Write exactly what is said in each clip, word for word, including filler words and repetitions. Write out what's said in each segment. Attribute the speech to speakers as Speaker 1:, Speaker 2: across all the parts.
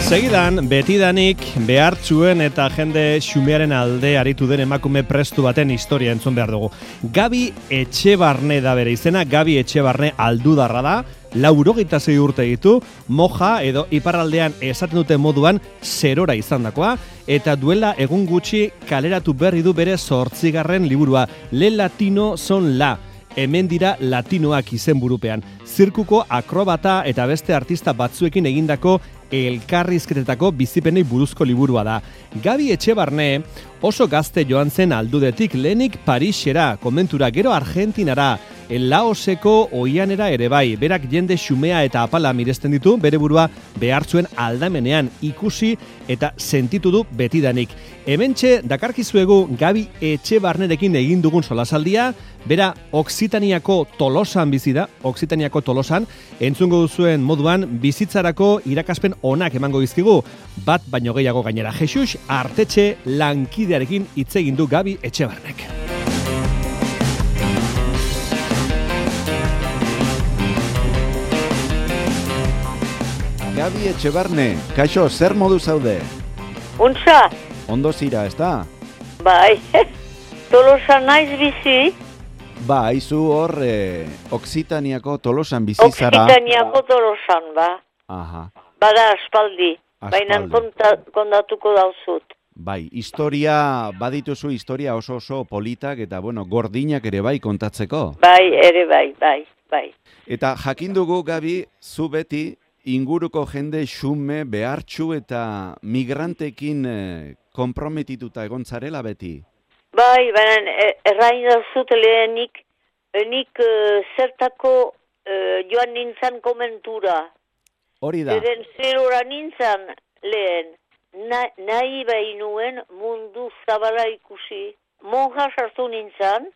Speaker 1: Segidan, betidanik behartzuen eta jende xumearen alde aritu den emakume prestu baten historia entzun behar dugu. Gabi Etxebarne da bere izena, Gabi Etxebarne aldudarra da, laurogeita sei urte ditu, moja edo iparraldean esaten dute moduan zerora izandakoa, eta duela egun gutxi kaleratu berri du bere zortzigarren liburua, Le Latino son la. Hemen dira latinoak izenburupean. Zirkuko akrobata eta beste artista batzuekin egindako elkarrizketetako bizipenei buruzko liburua da. Gabi Etxebarne oso gazte joan zen aldudetik, lehenik Parisera, komentura, gero Argentinara, Laoseko oianera ere bai. Berak jende xumea eta apala miresten ditu, bere burua behartzuen aldamenean ikusi eta sentitu du betidanik. Hementxe dakarkizuegu Gabi Etxebarnerekin egin dugun solasaldia, bera Oksitaniako Tolosan bizi da, Oksitaniako Tolosan, entzungo duzuen moduan bizitzarako irakaspen onak emango dizkigu, bat baino gehiago gainera. Jesus Artetxe lankidearekin hitz egin du Gabi Etxebarnek.
Speaker 2: Gabi Etxebarne, kaixo, zer modu zaude?
Speaker 3: Untza?
Speaker 2: Ondo zira, ez da?
Speaker 3: Bai, Tolosan naiz bizi.
Speaker 2: Ba, haizu hor, eh, Oksitaniako Tolosan bizi zara.
Speaker 3: Oksitaniako Tolosan, ba.
Speaker 2: Aha.
Speaker 3: Bada aspaldi,
Speaker 2: Aspaldi.
Speaker 3: baina konta, kontatuko dauzut.
Speaker 2: Bai, historia, badituzu historia oso oso politak eta, bueno, gordinak ere bai kontatzeko.
Speaker 3: Bai, ere bai, bai, bai.
Speaker 2: Eta jakin dugu, Gabi, zu beti inguruko jende xume, behartxu eta migrantekin eh, konprometituta egon zarela beti.
Speaker 3: Bai, baina errain dauzut lehenik, nik uh, zertako uh, joan nintzen komentura.
Speaker 2: Hori da.
Speaker 3: Zeren zerora nintzen lehen, Na, nahi bainuen mundu zabala ikusi. Monja sartu nintzen,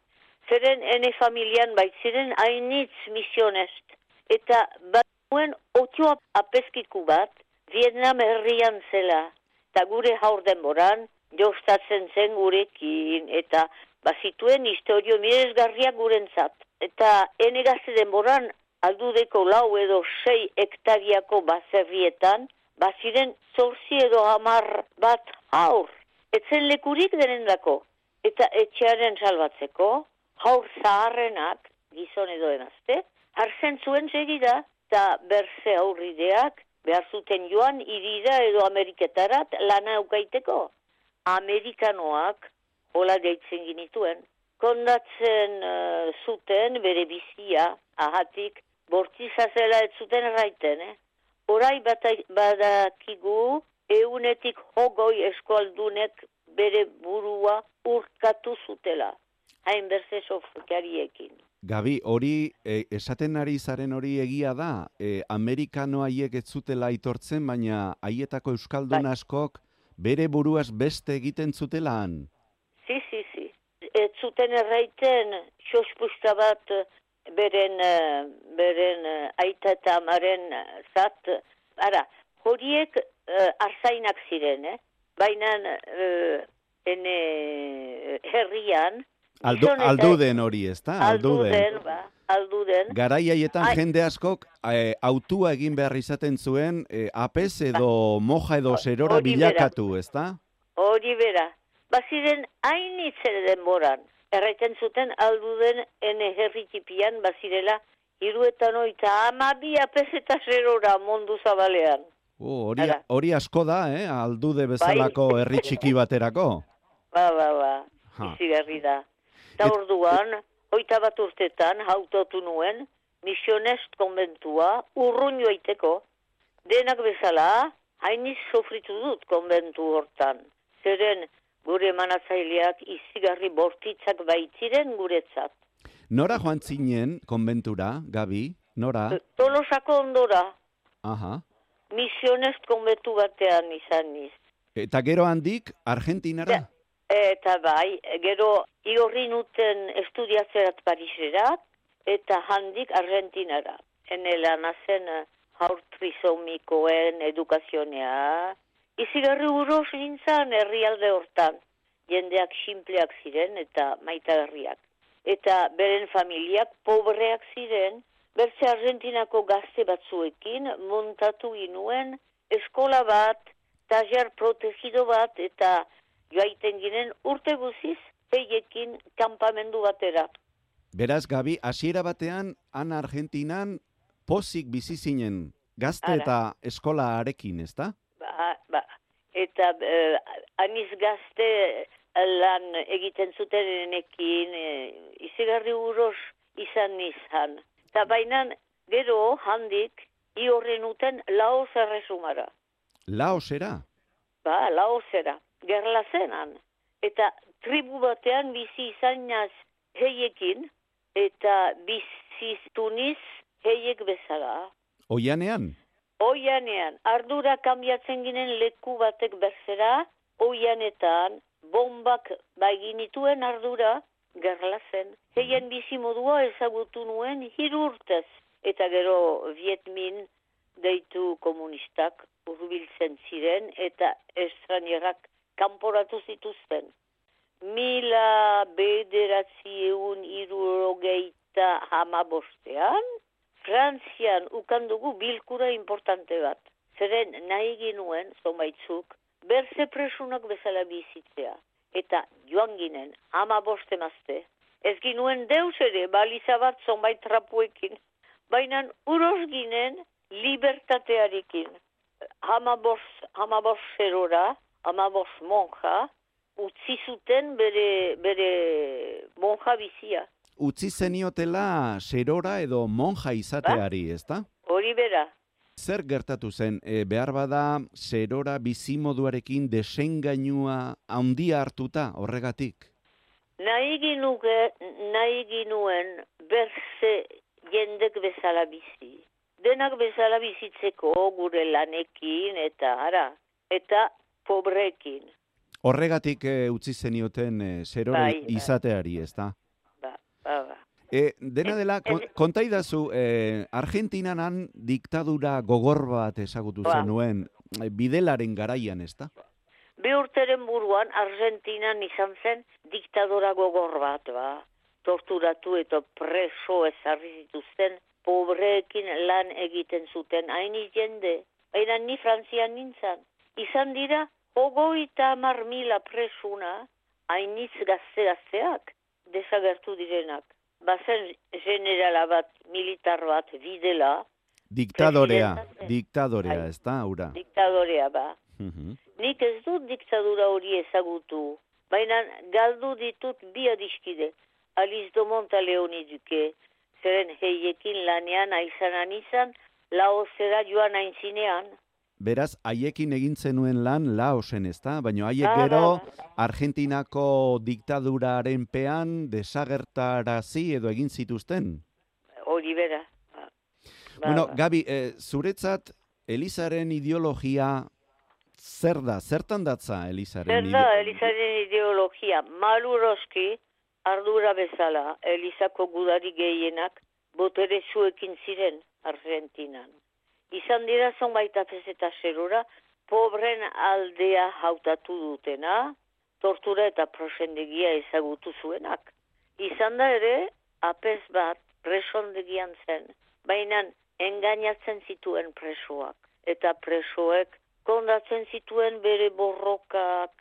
Speaker 3: zeren ene familian baitziren hainitz misionest. Eta bainuen otioa apeskiku bat, Vietnam herrian zela. Eta gure haur denboran, jostatzen zen gurekin, eta bazituen historio miresgarriak gurentzat. Eta ene gazte denboran, aldudeko lau edo sei hektariako baserrietan, baziren zorzi edo hamar bat haur. Etzen lekurik denendako. Eta etxearen salbatzeko, haur zaharrenak, gizon edo emazte, hartzen zuen segida, eta berze aurrideak, behar zuten joan irira edo Ameriketarat lana eukaiteko. Amerikanoak, hola deitzen ginituen, kondatzen uh, zuten bere bizia, ahatik, bortizazela ez zuten erraiten, eh? Horai badakigu, eunetik hogoi eskualdunek bere burua urkatu zutela. Hain berze sofokariekin.
Speaker 2: Gabi, hori, e, esaten ari zaren hori egia da, e, Amerikano haiek ez zutela aitortzen, baina haietako euskaldun
Speaker 3: bai.
Speaker 2: askok bere buruaz beste egiten zutelaan.
Speaker 3: Si, si, si. Ez zuten erraiten, xospusta bat, beren, beren aita eta amaren zat, ara, horiek uh, arzainak ziren, eh? Baina uh, ene herrian,
Speaker 2: Aldu, alduden hori, ez da?
Speaker 3: Alduden, alduden, ba, alduden.
Speaker 2: Garai haietan
Speaker 3: Ai.
Speaker 2: jende askok e, autua egin behar izaten zuen, e, apez edo moja edo zerora
Speaker 3: Hori
Speaker 2: bilakatu, ez da?
Speaker 3: Hori bera. Baziren hainitzen denboran. Erraiten zuten alduden ene herri tipian bazirela hiruetan oita amabi apez eta zerora mundu zabalean.
Speaker 2: Oh, hori, hori asko da, eh? Aldude bezalako
Speaker 3: Bai.
Speaker 2: herri txiki baterako.
Speaker 3: Ba, ba, ba.
Speaker 2: Ha.
Speaker 3: Izigarri da. Eta
Speaker 2: Et...
Speaker 3: orduan, hoita bat urtetan hautotu nuen misionest konbentua urrun joaiteko. Denak bezala, hainiz sofritu dut konbentu hortan. Zeren, gure manatzaileak izigarri bortitzak baitziren guretzat.
Speaker 2: Nora joan zinen konbentura, Gabi? Nora?
Speaker 3: Tolosako ondora.
Speaker 2: Aha.
Speaker 3: Misionest konbentu batean izan niz.
Speaker 2: Eta gero handik, Argentinara?
Speaker 3: Ja, eta bai, gero igorri nuten estudiatzerat Pariserat, eta handik Argentinara. Ene lanazen haur trisomikoen edukazionea. Izigarri uros nintzen herrialde hortan. Jendeak simpleak ziren eta maitagarriak. Eta beren familiak pobreak ziren, bertze Argentinako gazte batzuekin montatu ginuen eskola bat, taller protegido bat, eta joaiten ginen urte guziz, heiekin kanpamendu batera.
Speaker 2: Beraz, Gabi, hasiera batean, han Argentinan, pozik bizi zinen, gazte
Speaker 3: Ara.
Speaker 2: eta eskolarekin, ezta?
Speaker 3: Ba, ba. Eta eh, aniz gazte lan egiten zutenekin, eh, izigarri uros izan nizan. Eta bainan, gero handik, i horren uten Laos erresumara.
Speaker 2: Laosera?
Speaker 3: Ba, Laosera, gerla zenan. Eta tribu batean bizi izan naz heiekin, eta biziztuniz heiek bezala.
Speaker 2: Oianean?
Speaker 3: Oianean, ardura kanbiatzen ginen leku batek berzera, oianetan, bombak baiginituen ardura gerla zen. Heien bizi modua ezagutu nuen hiru urtez. Eta gero Vietmin deitu komunistak hurbiltzen ziren eta estranierak kanporatu zituzten. Mila bederatziehun hirurogeita hamabostean, Frantzian ukandugu bilkura importante bat. Zeren nahi ginuen, zonbaitzuk, berze presunak bezala bizitzea. Eta joan ginen, hamaboste mazte. Ez ginuen deus ere, baliza bat zonbait trapuekin. Baina uros ginen libertatearekin. Hamabos, hamabos zerora, hamabos monja, utzi zuten bere, bere monja bizia.
Speaker 2: Utzi zeniotela serora edo monja izateari, ezta?
Speaker 3: Hori bera.
Speaker 2: Zer gertatu zen, e, behar bada serora bizimoduarekin desengainua handia hartuta horregatik?
Speaker 3: Nahi ginuke, nahi ginuen berze jendek bezala bizi. Denak bezala bizitzeko gure lanekin eta ara, eta pobrekin.
Speaker 2: Horregatik e, utzi zenioten e, serora
Speaker 3: Bai, bai.
Speaker 2: izateari, ezta?
Speaker 3: Ba, ba, ba.
Speaker 2: E, dena dela, kon, kontaidazu, e, Argentinanan diktadura gogor bat ezagutu
Speaker 3: Ba.
Speaker 2: zenuen, e, bidelaren garaian, ezta?
Speaker 3: Bi urteren buruan Argentinan izan zen diktadora gogor bat, ba. Torturatu eta preso ezarri zituzten, pobreekin lan egiten zuten, hainiz jende. Baina ni Frantzian nintzen. Izan dira, hogeita hamar mila presuna, hainiz gazte-gazteak, desagertu direnak. Bazen generala bat, militar bat, bidela.
Speaker 2: Diktadorea,
Speaker 3: Presidenta-
Speaker 2: diktadorea,
Speaker 3: Bai.
Speaker 2: ezta, hura?
Speaker 3: Diktadorea ba.
Speaker 2: Mhm.
Speaker 3: Nik ez dut diktadura hori ezagutu, baina galdu ditut bi adiskide. Aliz Domont Leoni duke, zeren heiekin lanean aizanan izan, Laosera joan aintzinean.
Speaker 2: Beraz, haiekin egin zenuen lan Laosen, ezta? Baina haiek
Speaker 3: Ba,
Speaker 2: gero
Speaker 3: ba,
Speaker 2: Argentinako diktaduraren pean desagertarazi edo egin zituzten.
Speaker 3: Hori bera. Ba, ba,
Speaker 2: Bueno,
Speaker 3: ba.
Speaker 2: Gabi, eh, zuretzat Elizaren ideologia zer da? Zertan datza Elizaren
Speaker 3: Zer da Elizaren ideologia? Maluroski, ardura bezala, Elizako gudari gehienak botere zuekin ziren Argentinan. Izan dira zonbait apez eta zerura, pobren aldea hautatu dutena, tortura eta prosendegia ezagutu zuenak. Izan da ere, apez bat presondegian zen, baina engainatzen zituen presoak, eta presoek kondatzen zituen bere borrokak,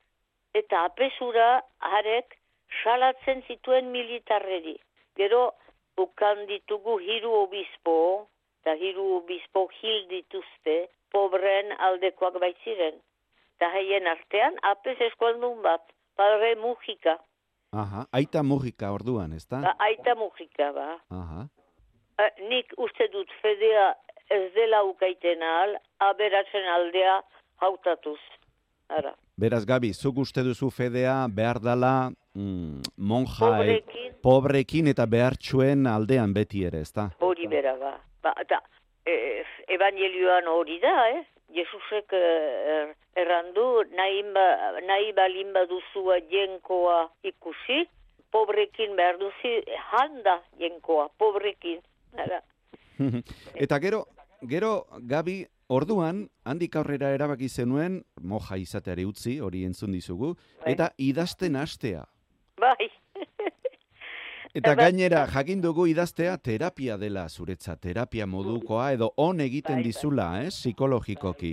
Speaker 3: eta apesura harek salatzen zituen militarreri. Gero, ukan ditugu hiru obispo, eta hiru obispo hil dituzte, pobren aldekoak baitziren. Eta haien artean, apes eskualdun bat, Padre Mujika,
Speaker 2: Aha, aita Mujika orduan, ezta?
Speaker 3: ba, aita Mujika, ba.
Speaker 2: Aha.
Speaker 3: Eh, nik uste dut fedea ez dela ukaiten ahal, aberatzen aldea hautatuz. Ara.
Speaker 2: Beraz, Gabi, zuk uste duzu fedea behar dala mm, monja e-
Speaker 3: Pobrekin,
Speaker 2: pobrekin eta behartxuen aldean beti ere, ezta?
Speaker 3: hori bera, ba. Ba, eta, eh, evangelioan hori da, eh? Jesusek eh, errandu, nahi, ba, nahi balin baduzua jenkoa ikusi, pobrekin behar duzi, handa jenkoa, pobrekin. Ara.
Speaker 2: Eta gero, gero, Gabi, orduan, handik aurrera erabaki zenuen, moja izateari utzi, hori entzun dizugu,
Speaker 3: Bai.
Speaker 2: eta idazten hastea.
Speaker 3: Bai.
Speaker 2: Eta
Speaker 3: Bai.
Speaker 2: gainera, jakin dugu idaztea terapia dela zuretza, terapia modukoa, edo on egiten
Speaker 3: Bai, bai.
Speaker 2: dizula, eh, psikologikoki.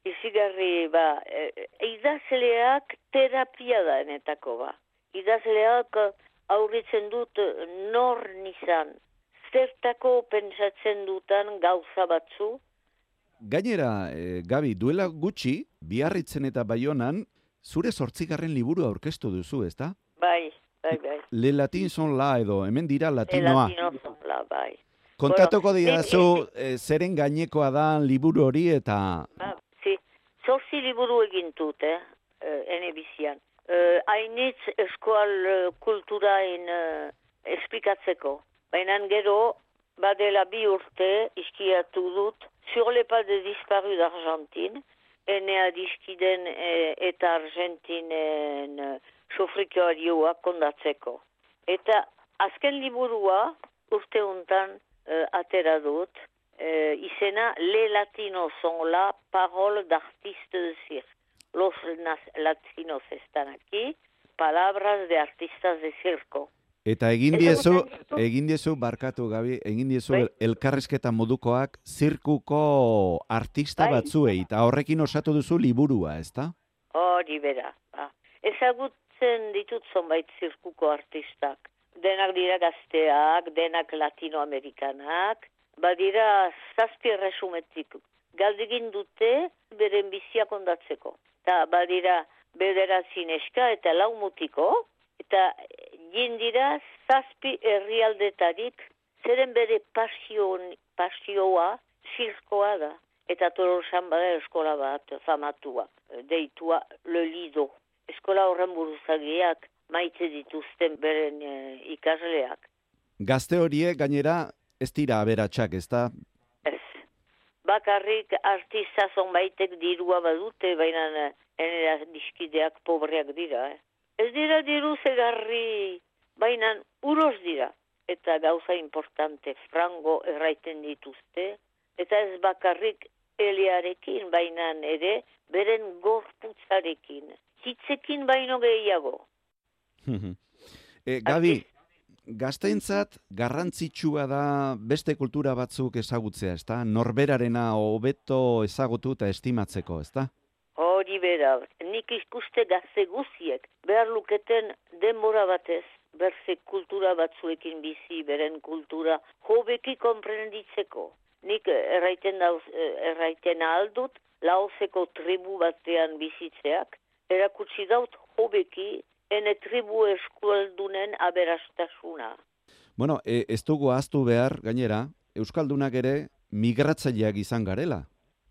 Speaker 3: izigarri, ba, e, idazleak terapia da enetako, ba. Idazleak aurritzen dut nor nizan, zertako pentsatzen dutan gauza batzu.
Speaker 2: Gainera, e, Gabi, duela gutxi, Biarritzen eta Baionan, zure zortzigarren liburu aurkeztu duzu, ezta?
Speaker 3: Bai, bai, bai.
Speaker 2: Le latin son la edo, hemen dira
Speaker 3: El
Speaker 2: latinoa.
Speaker 3: latino son la, bai.
Speaker 2: Kontatuko
Speaker 3: Bueno,
Speaker 2: didazu e, zeren gainekoa da liburu hori eta...
Speaker 3: Ba, zi, zorzi liburu egin dut, eh, ene bizian. Uh, Hainitz eskual uh, kulturain uh, esplikatzeko. Baina gero, badela bi urte iskiatu dut, Sur les pas de disparu d'Argentine, ene adiskiden e, eta Argentinen e, sofrikoarioa kondatzeko. Eta azken liburua urte untan e, atera dut, e, izena Le Latinos son la parole d'artiste de cirque. Los latinos están aquí, palabras de artistas de circo.
Speaker 2: Eta egin diezu, egin diezu, barkatu Gabi, egin diezu
Speaker 3: bai?
Speaker 2: elkarrizketa modukoak zirkuko artista
Speaker 3: bai?
Speaker 2: batzuei, eta horrekin osatu duzu liburua, ezta?
Speaker 3: Hori bera. Ba. Ezagutzen ditut zonbait zirkuko artistak. Denak dira gazteak, denak latinoamerikanak, badira zazpi resumetik. Galdegin dute beren bizia kondatzeko. Eta badira bederatzi neska eta lau mutiko, eta jindira zazpi herrialdetarik, zeren bere pasion, pasioa zirkoa da. Eta Tolosan bada eskola bat famatua, deitua Le Lido. Eskola horren buruzagiak maite dituzten beren e, ikasleak.
Speaker 2: Gazte horiek gainera ez dira aberatsak, ezta?
Speaker 3: Ez. Bakarrik artista zonbaitek dirua badute, baina enera diskideak pobreak dira. Eh? Ez dira diru zegarri, baina uros dira. Eta gauza importante, frango erraiten dituzte. Eta ez bakarrik eliarekin, baina ere beren gorputzarekin. Hitzekin baino gehiago.
Speaker 2: e, Gabi, gazteentzat garrantzitsua da beste kultura batzuk ezagutzea, ezta? Norberarena hobeto ezagutu eta estimatzeko, ezta?
Speaker 3: Hori bera, nik ikuste gazte guziek behar luketen denbora batez, berze kultura batzuekin bizi, beren kultura hobeki konprenditzeko. Nik erraiten, dauz, erraiten aldut, laozeko tribu batean bizitzeak, erakutsi daut hobeki ene tribu eskualdunen aberastasuna.
Speaker 2: Bueno, e, ez dugu ahaztu behar, gainera, euskaldunak ere migratzaileak izan garela.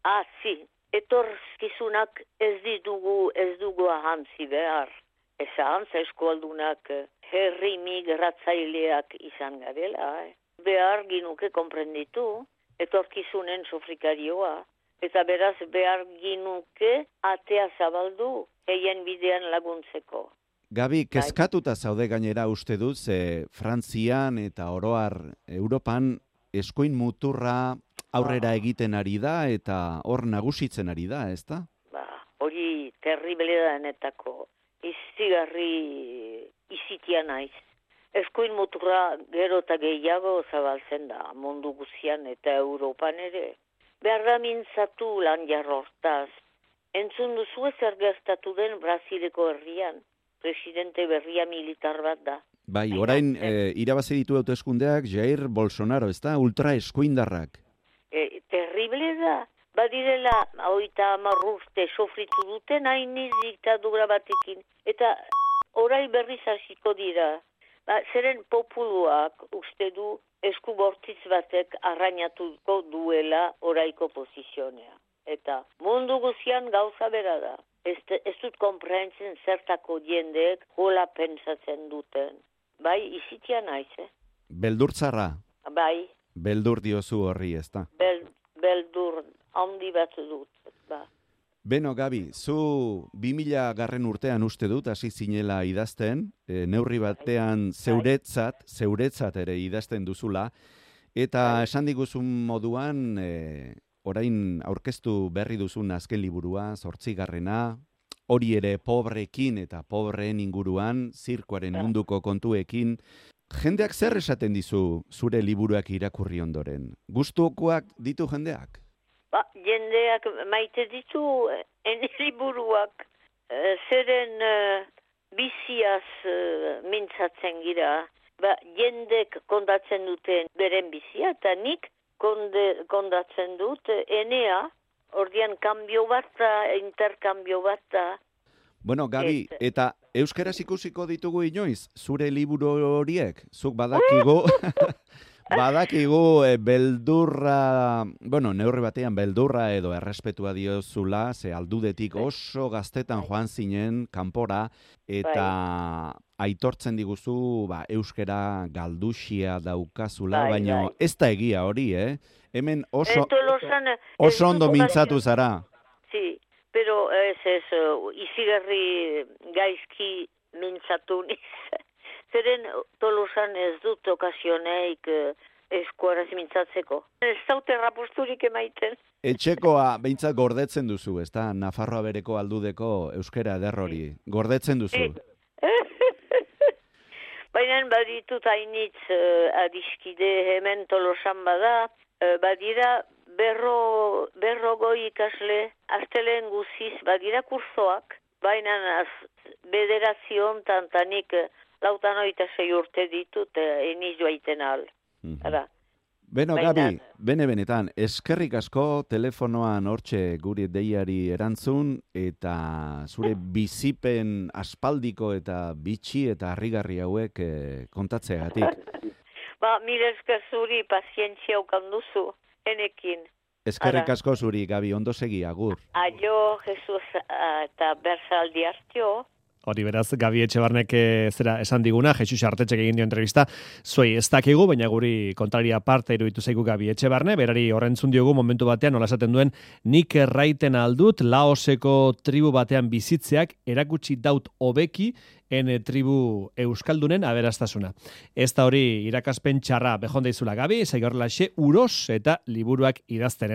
Speaker 3: Ah, zi, etorkizunak ez ditugu, ez dugu ahantzi behar. Ez ahantza eskualdunak herri migratzaileak izan garela. Eh? Behar ginuke konprenditu, etorkizunen sofrikarioa. Eta beraz behar ginuke atea zabaldu, eien bidean laguntzeko.
Speaker 2: Gabi, kezkatuta zaude gainera uste dut, ze Frantzian eta oroar Europan eskuin muturra aurrera egiten ari da eta hor nagusitzen ari da, ezta?
Speaker 3: Ba, hori terrible da enetako. Izigarri izitia naiz. Eskuin muturra gero eta gehiago zabaltzen da, mundu guzian eta Europan ere. Behar da mintzatu lan jarrortaz. Entzun duzu zer gertatu den Brasileko herrian. Presidente berria militar bat da.
Speaker 2: Bai, orain e, irabazi ditu hauteskundeak Jair Bolsonaro, ezta? Ultra eskuindarrak.
Speaker 3: E, terrible da. Badirela, hogeita hamar urte sofritu duten hainiz diktadura batekin. Eta orai berriz hasiko dira. Ba, zeren populuak uste du esku bortitz batek arrainatuko duela oraiko posizionea. Eta mundu guzian gauza bera da. Ez, ez dut konprentzen zertako jendeek hola pentsatzen duten. Bai, izitia naiz, eh?
Speaker 2: Beldurtzarra.
Speaker 3: Bai.
Speaker 2: Beldur diozu horri, ezta?
Speaker 3: Bel, beldur handi bat dut, ba.
Speaker 2: Beno, Gabi, zu bi mila garren urtean uste dut, hasi zinela idazten, e, neurri batean zeuretzat, zeuretzat ere idazten duzula, eta esan diguzun moduan, e, orain aurkeztu berri duzun azken liburua, zortzigarrena, hori ere pobrekin eta pobreen inguruan, zirkoaren munduko kontuekin. Jendeak zer esaten dizu zure liburuak irakurri ondoren? Gustukoak ditu jendeak?
Speaker 3: Ba, jendeak maite ditu ene liburuak. Uh, zeren uh, biziaz uh, mintzatzen gira. Ba, jendek kondatzen duten beren bizia, eta nik konde, kondatzen dut enea, ordian kambio bat da, interkambio bat da.
Speaker 2: Bueno, Gabi, Et... eta euskaraz ikusiko ditugu inoiz, zure liburu horiek, zuk badakigu, badakigu e, beldurra, bueno, neurri batean beldurra edo errespetua diozula, ze aldudetik oso gaztetan joan zinen kanpora, eta bai. aitortzen diguzu ba, euskara galduxia daukazula, bai, baina bai. Ez da egia hori, eh? Hemen oso, Entolosan, oso ondo mintzatu zara.
Speaker 3: Sí. Pero ez ez, uh, izigarri gaizki mintzatu niz. Zeren Tolosan ez dut okazioneik uh, eskuaraz mintzatzeko. Ez zaute raposturik emaiten.
Speaker 2: Etxekoa behintzat gordetzen duzu, ez da? Nafarroa bereko aldudeko euskera ederrori. Gordetzen duzu.
Speaker 3: Baina baditut hainitz uh, adiskide hemen Tolosan bada, uh, badira berro, berrogoi ikasle, aztelen guziz badira kursoak, baina bederazion tantanik lautan oita sei urte ditut eniz joaiten al. Mm-hmm.
Speaker 2: Beno, Gabi, bene benetan, eskerrik asko telefonoan hortxe guri deiari erantzun, eta zure bizipen aspaldiko eta bitxi eta harrigarri hauek eh, kontatzeagatik.
Speaker 3: Ba, mire esker zuri pazientzia ukan duzu. Enekin.
Speaker 2: Eskerrik asko zuri, Gabi, ondo segi, agur.
Speaker 3: Aio, Jesus, eta berzaldi hartio.
Speaker 1: Hori beraz, Gabi Etxebarnek zera esan diguna, Jesus Artetxek egin dio entrevista, zuei ez dakigu, baina guri kontraria parte iruditu zaigu Gabi Etxebarne, berari horrentzun diogu momentu batean, nola esaten duen, nik erraiten aldut, Laoseko tribu batean bizitzeak erakutsi daut hobeki, ene tribu euskaldunen aberastasuna. Ez da hori irakaspen txarra behonda izula Gabi, zaigorrelaxe uros eta liburuak idazten.